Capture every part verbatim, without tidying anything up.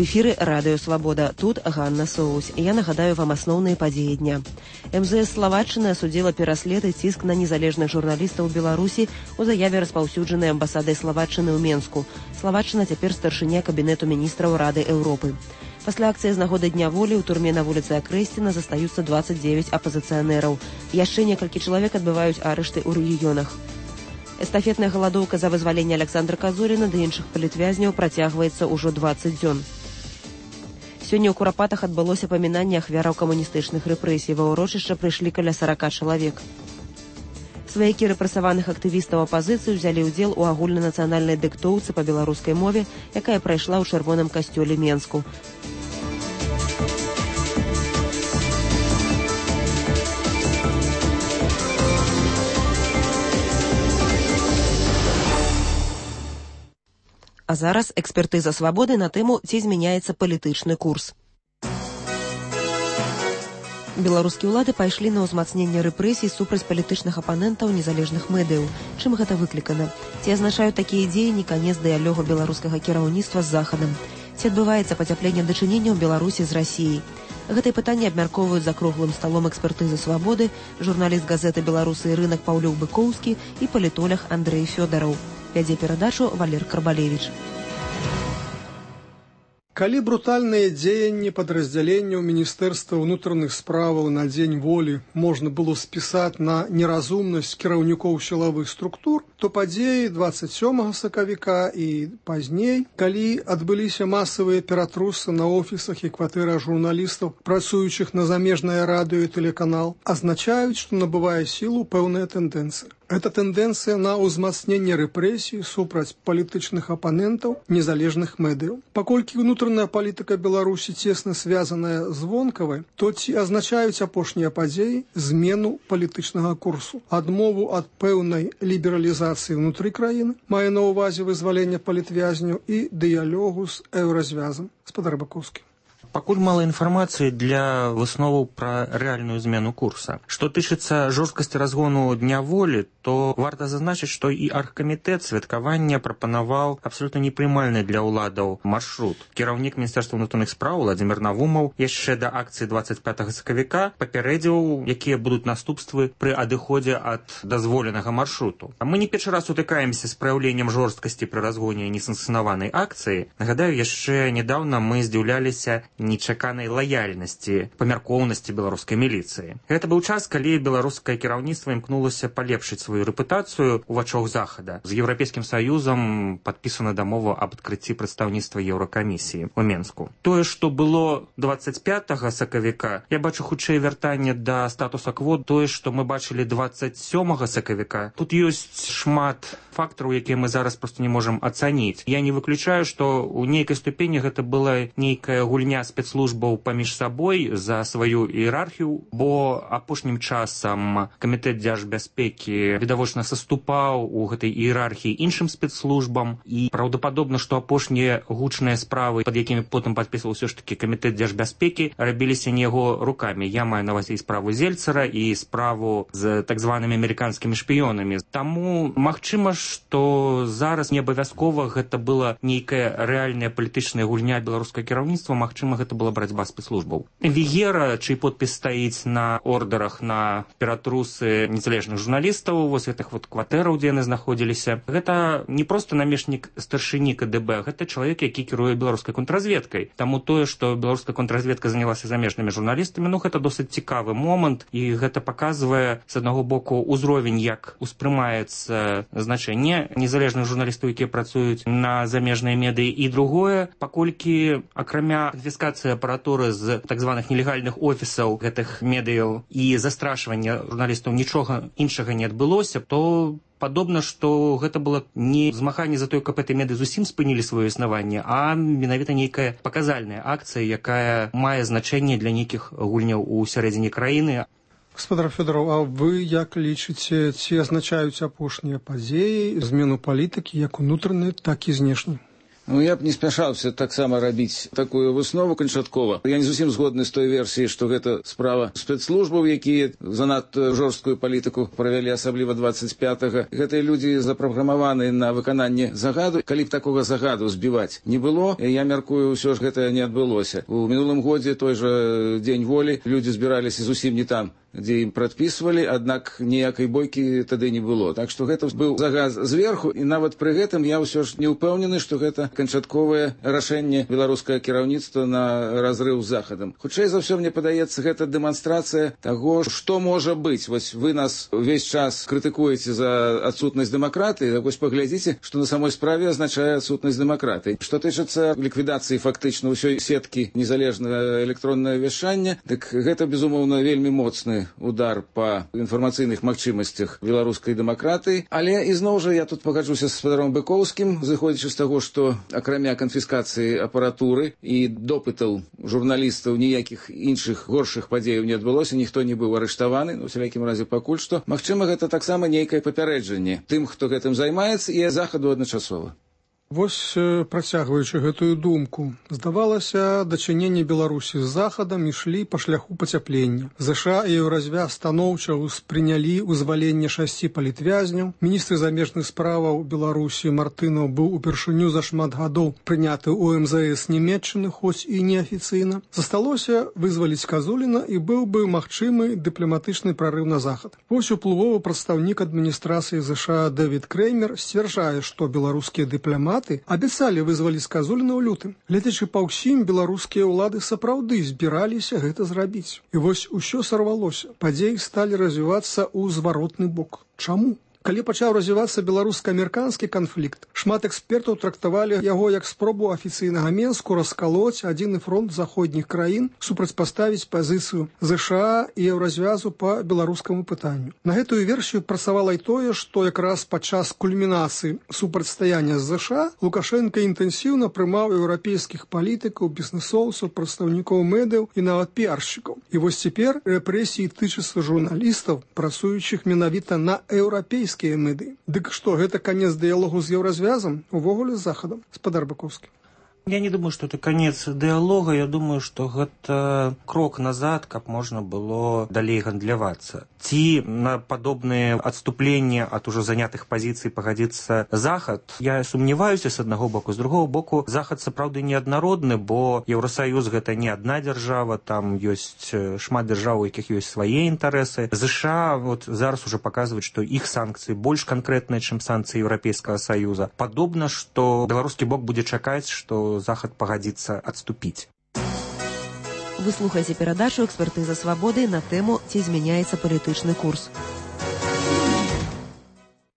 эфіры Радыё Свабода. Тут Ганна Соус. Я нагадаю вам асноўныя падзеі дня. эм зэ эс Славаччыны асудзіла пераслед і ціск на незалежных журналістаў Беларусі у заяве, распаўсюджанай амбасадай Славаччыны ў Менску. Славаччына цяпер старшыня кабінету міністраў Рады Еўропы. Пасля акцыі з нагоды Дня волі ў турме на вуліцы Акрэсціна застаюцца дваццаць дзевяць апазіцыянераў. Яшчэ некалькі чалавек адбываюць арышты ў рэгіёнах. Эстафетная галадоўка за вызваленне Александра Казуріна ды іншых палітвязняў працягваецца ўжо дваццаць дзён. Сёння ў Курапатах адбылося памінанне ахвяраў камуністычных рэпрэсій. Ва ўрочышча прыйшлі каля сарака чалавек. Сваякі рэпрэсаваных актывістаў апазіцыі ўзялі ўдзел у агульнанацыянальнай дыктоўцы па беларускай мове, якая прайшла ў чырвоным касцёле Менску. А зараз экспертыза Свабоды на тэму, ці змяняецца палітычны курс. Беларускія ўлады пайшлі на ўзмацненне рэпрэсій супраць палітычных апанентаў незалежных медыяў. Чым гэта выклікана? Ці азначаюць такія дзеянні канец дыялогу беларускага кіраўніцтва з Захадам? Ці адбываецца пацяпленне дачыненняў Беларусі з Расіяй? Гэтае пытанне абмяркоўваюць за круглым сталом экспертызы Свабоды журналіст газеты «Беларусы і рынак» Паўлюк Быкоўскі і палітолог Андрэй Фёдараў. Вядзе перадачу Валер Карбалевіч. Калі брутальныя дзеянні падраздзяленняў Міністэрства ўнутраных справаў на дзень волі можна было спісаць на неразумнасць кіраўнікоў сілавых структур, то падзеі дваццаць сёмага сакавіка і пазней, калі адбыліся масавыя ператрусы на офісах і кватэрах журналістаў, працуючых на замежнае радыё і тэлеканал, азначаюць, што набывае сілу пэўная тэндэнцыя. Гэта тэндэнцыя на ўзмацненне рэпрэсій супраць палітычных апанентаў незалежных медыяў. Паколькі ўнутраная палітыка Беларусі цесна звязаная з вонкавай, то ці азначаюць апошнія падзеі змену палітычнага курсу, адмову ад пэўнай лібералізацыі ўнутры краіны, мае на ўвазе вызвалення палітвязняў і дыялогу з еўразвязам. Спадар Бакоўскі. Пакуль мала інфармацыі для высноваў пра рэальную змену курса. Што тычыцца жорсткасці разгону Дня волі, то варта зазначыць, што і аргкамітэт святкавання прапанаваў абсалютна непрымальны для ўладаў маршрут. Кіраўнік Міністэрства ўнутраных спраў Владзімір Навумаў яшчэ да акцыі дваццаць пятага сакавіка папярэдзіў, якія будуць наступствы пры адыходзе ад дазволенага маршруту. А мы не першы раз сутыкаемся з праяўленнем жорсткасці пры разгоне несанкцыянаванай акцыі. Нагадаю, яшчэ нядаўна мы здзіўляліся нечаканай лаяльнасці, памяркоўнасці беларускай міліцыі. Гэта быў час, калі беларускае кіраўніцтва імкнулася палепшыць сваю рэпутацыю ў вачах Захада. З Еўрапейскім Саюзам падпісана дамова аб адкрыцці прадстаўніцтва Еўракамісіі ў Менску. Тое, што было дваццаць пятага сакавіка, я бачу хутчэй вяртанне да статуса кво, тое, што мы бачылі дваццаць сёмага сакавіка. Тут ёсць шмат фактараў, якія мы зараз проста не можам ацаніць. Я не выключаю, што ў нейкай ступені гэта была нейкая гульня спецслужбаў паміж сабой за сваю іерархію, бо апошнім часам камітэт дзяржбяспекі відавочна саступаў у гэтай іерархіі іншым спецслужбам, і праўдападобна, што апошнія гучныя справы, пад якімі потым падпісваў ўсё ж такі камітэт дзяржбяспекі, рабіліся не яго рукамі. Я маю на ўвазе і справу Зельцара, і справу з так званымі амерыканскімі шпіёнамі. Таму магчыма, што зараз не абавязкова гэта была нейкая рэальная палітычная гульня беларускага кіраўніцтва, магчыма, гэта была барацьба спецслужбаў. Вігера, чый подпіс стаіць на ордерах на ператрусы незалежных журналістаў, вось гэтых вот кватэраў, дзе яны знаходзіліся, гэта не проста намешнік старшыні ка дэ бэ, гэта чалавек, які кіруе беларускай контрразведкай. Таму тое, што беларуская контрразведка занялася замежнымі журналістамі, ну гэта досыць цікавы момант, і гэта паказвае, з аднаго боку, узровень, як успрымаецца значэнне незалежных журналістаў, якія працуюць на замежныя медыі, і другое, паколькі акрамя канфіскацыі апаратуры з так званых нелегальных офісаў гэтых медыяў і застрашвання журналістаў нічога іншага не адбылося, то падобна, што гэта было не змаганне за тое, каб гэтыя медыі зусім спынілі сваё існаванне, а менавіта нейкая паказальная акцыя, якая мае значэнне для нейкіх гульняў у сярэдзіне краіны. Гаспадар Фёдараў, а вы як лічыце, ці азначаюць апошнія падзеі змену палітыкі як унутранай, так і знешняй? Ну, я б не спяшаўся таксама рабіць такую выснову канчаткова. Я не зусім згодны з той версіяй, што гэта справа спецслужбаў, якія занадта жорсткую палітыку правялі, асабліва двадцать пятага. Гэтыя людзі запраграмаваны на выкананне загаду. Калі б такога загаду збіваць не было, я мяркую, ўсё ж гэта не адбылося. У мінулым годзе той жа дзень волі людзі збіраліся зусім не там, дзе ім прадпісвалі, аднак ніякай бойкі тады не было. Так што гэта быў загаз зверху, і нават пры гэтым я ўсё ж не ўпэўнены, што гэта канчатковае рашэнне беларускага кіраўніцтва на разрыў з захадам. Хутчэй за ўсё, мне падаецца, гэта дэманстрацыя таго, што можа быць. Вось вы нас увесь час крытыкуеце за адсутнасць дэмакратыі, так вось паглядзіце, што на самой справе азначае адсутнасць дэмакратыі. Што тычыцца ліквідацыі фактычна ўсёй сеткі незалежнага электроннага вяшчання, дык гэта, безумоўна, вельмі моцны удар па інфармацыйных магчымасцях беларускай дэмакратыі. Але ізноў жа я тут пагаджуся з спадаром Быкоўскім, зыходзячы з таго, што акрамя канфіскацыі апаратуры і допытаў журналістаў ніякіх іншых горшых падзеяў не адбылося, ніхто не быў арыштаваны, ну, у всялякім разе пакуль што. Магчыма, гэта таксама нейкае папярэджанне тым, хто гэтым займаецца, і захаду адначасова. Вось, працягваючы гэтую думку, здавалася, дачыненні Беларусі з захадам ішлі па шляху пацяплення. ЗША і Еўразвяз станоўча ўспрынялі вызваленне шасці палітвязняў. Міністр замежных справаў Беларусі Мартынаў быў упершыню за шмат гадоў прыняты ў эм зэ эс Нямецчыны, хоць і неафіцыйна. Засталося вызваліць Казуліна, і быў бы магчымы дыпламатычны прарыў на захад. Вось уплывовы прадстаўнік адміністрацыі ЗША Дэвід Креймер сцвярджае, што беларускія дыпламаты абяцалі вызваліць Казуліна ў лютым. Гледзячы па ўсім, беларускія ўлады сапраўды збіраліся гэта зрабіць. І вось усё сарвалося. Падзеі сталі развівацца ў зваротны бок. Чаму? Калі пачаў развівацца беларуска-амерыканскі канфлікт, шмат экспертаў трактавалі яго як спробу афіцыйнага Менску раскалоць адзіны фронт заходніх краін, супрацьпаставіць пазіцыю ЗША і Еўразвязу па беларускаму пытанню. На гэтую версію працавала і тое, што якраз падчас кульмінацыі супрацьстаяння з ЗША Лукашенка інтэнсіўна прымаў еўрапейскіх палітыкаў, бізнесоўцаў, прадстаўнікоў медыяў і нават піаршчыкаў. І вось цяпер рэпрэсіі тычацца журналістаў, працуючых менавіта на еўрапейскіх меды. Дык што, гэта канец дыялогу з Еўразвязам, увогуле з захадам? Спадар Быкоўскі. Я не думаю, что это конец диалога, я думаю, что это крок назад, как можно было далей гандлявацца. Ці на подобные отступления от уже занятых позиций погодится Захад, я сумневаюся с одного боку. С другого боку, Захад сапраўды неаднародны, бо Еўросоюз гэта не одна держава, там есть шмат держав, у якіх есть свои интересы. США вот зараз уже показывают, что их санкции больше конкретные, чем санкции Европейского Союза. Подобно, что белорусский бок будет чакаць, что Захад пагадзіцца адступіць. Вы слухаеце перадачу «Экспертыза свабоды» на тэму «Ці змяняецца палітычны курс».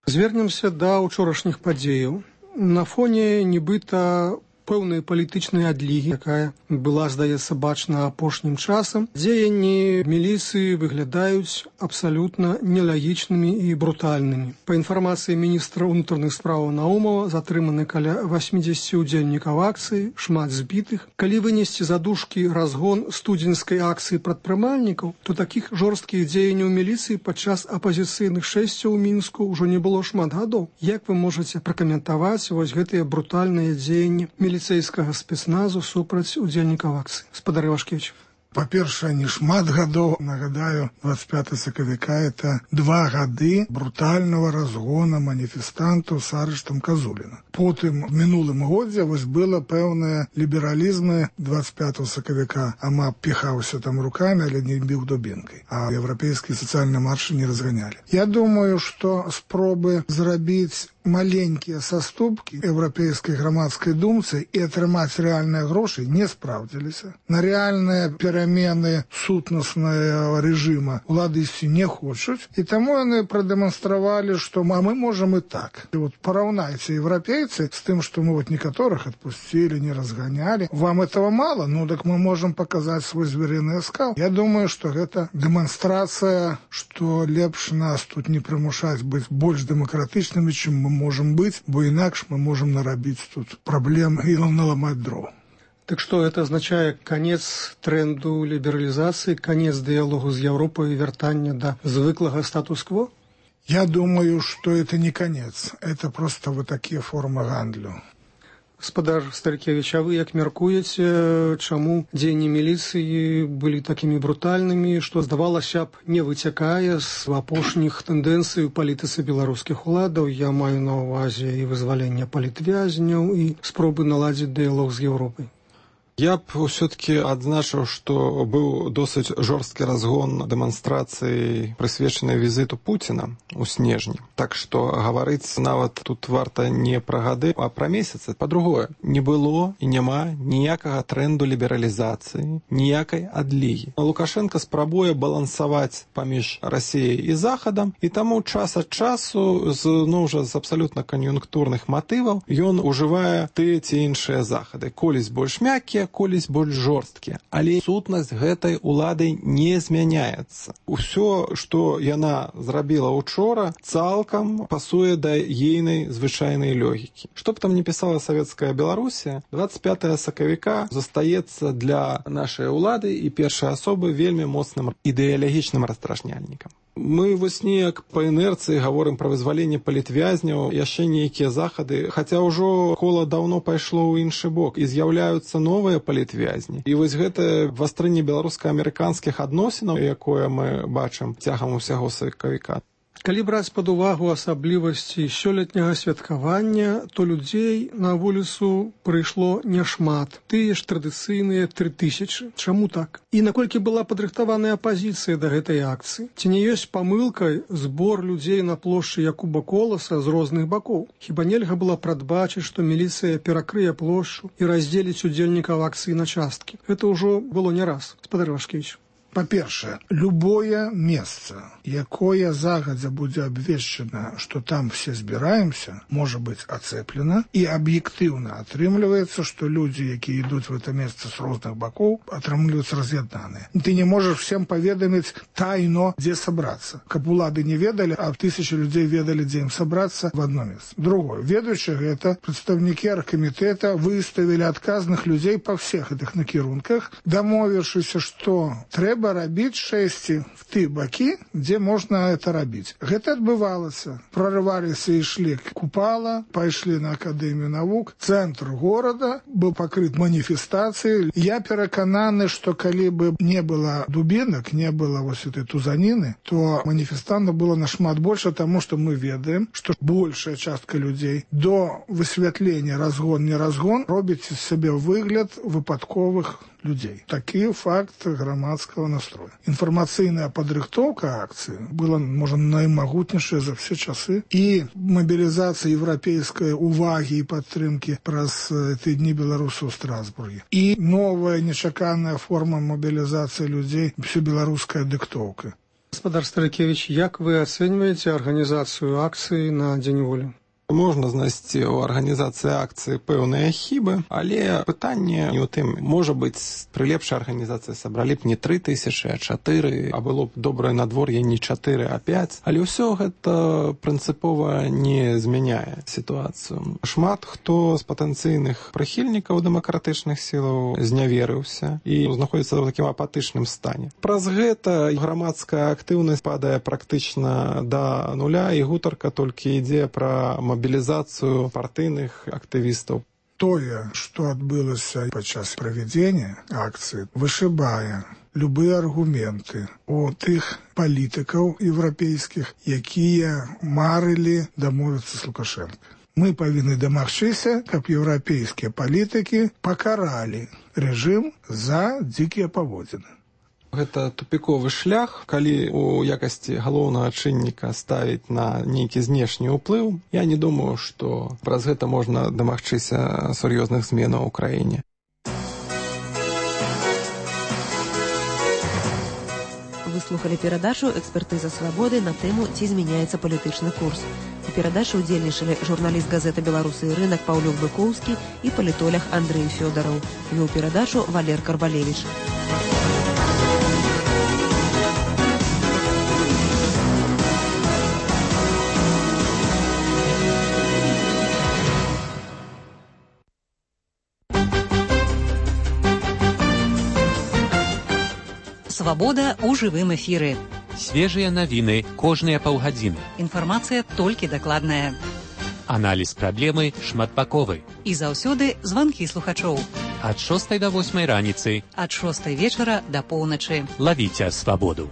Звернемся да ўчорашніх падзеяў. На фоне нібыта пэўнай палітычнай адлігі, якая была, здаецца, бачна апошнім часам, дзеянні міліцыі выглядаюць абсалютна нелагічнымі і брутальнымі. Па інфармацыі міністра ўнутраных справаў Наумова затрыманы каля восьмидесяти удзельнікаў акцыі, шмат збітых. Калі вынесці за дужкі разгон студзеньскай акцыі прадпрымальнікаў, то такіх жорсткіх дзеянняў міліцыі падчас апазіцыйных шэсцяў у Мінску ўжо не было шмат гадоў. Як вы можаце пракаментаваць вось гэтыя брутальныя дзеянні міліцэйскага спецназу супраць удзельнікаў акцыі? Спадар Івашкевіч. Па-першае, не шмат гадоў, нагадаю, двадцать пятого сакавіка это два гады брутального разгона маніфестантаў з арыштам Казуліна. Потым в мінулым годзе вось было пэўнае лібералізмы двадцать пятого сакавіка, ама піхаўся там руками, але не біў дубінкай, а еўрапейскія сацыяльныя маршы не разганялі. Я думаю, што спробы зрабіць маленькія саступкі еўрапейскай грамадскай думцы і атрымаць рэальныя грошы не спраўдзіліся. На рэальныя перамены сутнаснага рэжыма улады ісці не хочуць, і таму яны прадэманстравалі, што а мы можам і так. І вот параўнайце еўрапейцы з тым, што мы вот некаторых адпусцілі, не разганялі. Вам этого мало? Ну, так мы можам паказаць свой зверыны аскал. Я думаю, што гэта дэманстрацыя, што лепш нас тут не прымушаць быць больш дэмакратычнымі, чым мы можем быть, бо інакш мы можем нарабіць тут праблем і наламаць дров. Так что это означает конец тренду либерализации, конец диалогу с Европой и вертание до звыклого статус-кво? Я думаю, что это не конец. Это просто вот такие формы гандлю. Гаспадар Старыкевіч, а вы як мяркуеце, чаму дзеянні міліцыі былі такімі брутальнымі, што, здавалася б, не выцякае з апошніх тэндэнцый у палітыцы беларускіх уладаў? Я маю на ўвазе і вызвалення палітвязняў, і спробы наладзіць дыялог з Еўропай. Я б все-таки адзначыў, што быў досыць жорсткі разгон дэманстрацыі, прысвечанай візіту Пуціна ў снежні. Так што гаварыць нават тут варта не пра гады, а пра месяцы. Па-другое, не было і няма ніякага трэнду лібералізацыі, ніякай адлігі. Лукашенко спрабуе балансаваць паміж Расіяй і Захадам, і таму час ад часу, з, ну, ўжо з абсалютна кан'юнктурных матываў, ён ужывае тыя ці іншыя захады. Колісь больш мяккія, колісь больш жорсткія. Але сутнасць гэтай улады не змяняецца. Усё, што яна зрабіла учора, цалкам пасуе да ейнай звычайнай логікі. Што б там не пісала савецкая Беларусія, дваццаць пятага сакавіка застаецца для нашай улады і першай асобы вельмі моцным ідэалагічным раздражняльнікам. Мы вось неяк па інерцыі гаворым пра вызваленне палітвязняў, яшчэ нейкія захады, хаця ўжо кола даўно пайшло ў іншы бок, і з'яўляюцца новыя палітвязні. І вось гэта вастрынне беларуска-амерыканскіх адносінаў, якое мы бачым цягам усяго сакавіка. Калі браць пад увагу асаблівасці сёлетняга святкавання, то людзей на вуліцу прыйшло няшмат. Тыя ж традыцыйныя тры тысячы. Чаму так? І наколькі была падрыхтаваная апазіцыя да гэтай акцыі? Ці не ёсць памылкай збор людзей на плошчы Якуба Коласа з розных бакоў? Хіба нельга было прадбачыць, што міліцыя перакрые плошчу і раздзеліць удзельнікаў акцыі на часткі? Гэта ўжо было не раз, гаспадар Вашкевіч. Па-першае, любое месца, якое загадзя будзе абвешчана, што там все збіраемся, можа быць ацэплена, і аб'ектыўна атрымліваецца, што людзі, якія ідуць в это месца з розных бакоў, атрымліваюцца раз'яднаныя. Ты не можаш всем паведаміць тайно, дзе сабрацца. Каб улады не ведалі, а тысячы людзей ведалі, дзе ім сабрацца в одно месца. Другое, ведаючы гэта, прадстаўнікі аргкамітэта выставілі адказных людзей па всех гэтых накірунках, дамовіўшыся, што трэба рабіць шэсці в ты бакі, дзе можна это рабіць. Гэта адбывалася. Прорываліся і ішлі купала, пайшлі на Акадэмію навук, цэнтр горада быў пакрыт маніфестацыяй. Я перакананы, што калі бы не было дубінак, не было вось этой тузаніны, то маніфестантаў было нашмат больше, таму што мы ведаем, што большая частка людзей до высвятлення разгон-не разгон робіць з сябе выгляд выпадковых людей. Такі факт грамадскага настроя. Інфармацыйная падрыхтоўка акцыі была, можа, наймагутнейшая за все часы. І мабілізацыя еўрапейскай увагі і падтрымкі праз ты дні беларусаў у Страсбурге. І новая нечаканая форма мабілізацыі людзей, всё беларуская дыктоўка. Гаспадар Старыкевіч, як вы ацэньваеце арганізацыю акцыі на Дзень волі? Можна знайсці ў арганізацыі акцыі пэўныя хібы, але пытанне не ў тым. Можа быць, пры лепшай арганізацыі сабралі б не тры тысячы, а чатыры, а было б добрае надвор'е не чатыры, а пяць. Але ўсё гэта прынцыпова не змяняе сітуацыю. Шмат хто з патэнцыйных прыхільнікаў дэмакратычных сілаў зняверыўся і знаходзіцца ў такім апатычным стане. Праз гэта грамадская актыўнасць падае практычна да нуля, і гутарка толькі ідзе пра мобілізацыю партыйных актывістаў. Тое, што адбылася падчас правядзення акцыі, вышыбае любыя аргументы у тых палітыкаў еўрапейскіх, якія марылі дамовіцца з Лукашенко. Мы павінны дамагчыся, каб еўрапейскія палітыкі пакаралі рэжым за дзікія паводзіны. Гэта тупіковы шлях, калі у якасці галоўнага чынніка ставіць на нейкі знешні ўплыў. Я не думаю, што праз гэта можна дамагчыся сур'ёзных зменаў у краіне. Вы слухали перадачу «Экспертыза свабоды» на тэму «Ці змяняецца палітычны курс». У перадачы ўдзельнічалі журналіст газеты «Беларусы і рынак» Паўлюк Быкоўскі і палітолог Андрэй Фёдараў. Вёў перадачу Валер Карбалевіч. Свабода ў жывым эфіры. Свежыя навіны кожныя паўгадзіны. Інфармацыя толькі дакладная. Аналіз праблемы шматбаковы. І заўсёды званкі слухачоў. Ад шостай да восьмай раніцы. Ад шостай вечара да поўначы. Лавіце свабоду.